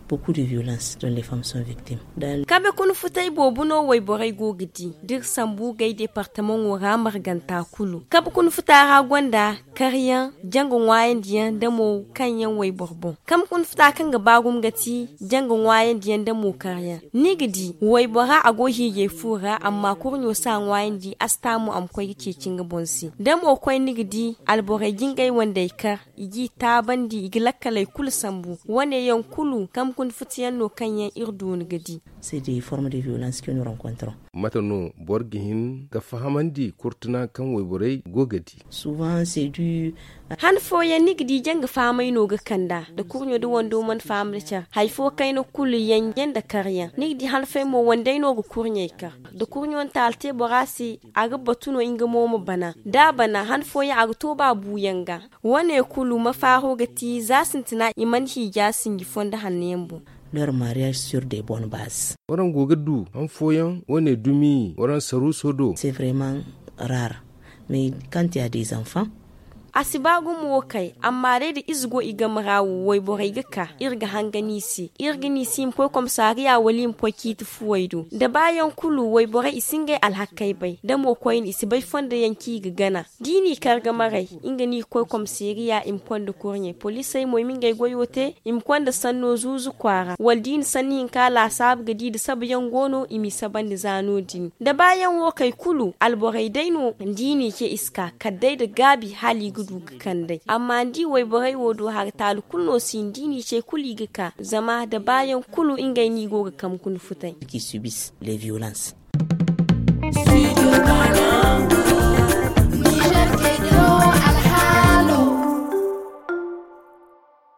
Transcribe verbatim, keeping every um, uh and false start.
Beaucoup de violence dont les femmes sont victimes. Kabe kuna futay boobo no wayborey go ga di da iri sambu gay departamaŋo ra marganta kulu kabe kuna futa ra gonda karyaŋ, janga ŋwaayandi yaŋ da mo kaŋ yaŋ wayboro boŋ. Kabe kuna futa kaŋ ga ba gumo ga ti janga ŋwaayandi yaŋ da mo karyaŋ. Ni ga di waybora a go hiijay fu ra amma kurɲo si a ŋwaayandi a si ta mo a ma koy ga ceeci nga boŋ se da mo koy ni ga di alborey ga ngey wandey kar, i g'i taabandi i ga lakkaley kulu sambu. Wane yaŋ kulu kamkun futayaŋ no kaŋ yaŋ iri dooni ga di. C'est des formes de violence que nous rencontrons. Mate no boro ga hin ga fahamandi kurtuna kaŋ wayborey go ga di? Souvent c'est du. Han fooyaŋ ni ga di janga fahamay no ga kand'a da kurɲo da wando mana faham da care hari fo kayna kulu yanjey nda karyaŋ ni ga di han fooyaŋ mo wandey no ga kurɲey kar da kurɲo na taala te bora se. A ga batu no nga mo ma bana da a bana han fooyaŋ a ga to ba buuyaŋ ga. Wane kulu mafaaro ga ti za sintina i mana hiija sinji fondo hanno yaŋ boŋ. Leur mariage sur des bonnes bases. Waraŋ go ga du han fooyaŋ wane dumi waraŋ saruuso do. C'est vraiment rare. Mais quand il y a des enfants. A si ba gumo wo kay amma day da ize go i game ra wo wayborey ga ka iri ga hangan i se iri ga ne i se i ma koy komisariya wala i ma koy ciiti fuwey do da baayaŋ kulu wayborey i si ngey alhakey bay da mo koyne i si bay fondo yaŋ kaŋ i ga gana. Da i n'i kar ga maray nga no i ga koy komisariya i ma konda kurɲey poliisey mo i ma ngey goyo te. I ma konda sanno zuuzu kwaara wala da i na sanni hinka laasaabu ga di da sabayaŋ go no i m'i sabandi za no- din da baayaŋ wo kay kulu alborey day no da i n'i ce i si ka kala day nda gaabi hala i ga du ga kand'ey amma ni di wayborey wo do hari taali kulu no si hin da i n'i ce kulu i ga ka zama da baayaŋ kulu ngey no i go ga kamkun futay. Qui subissent les violences.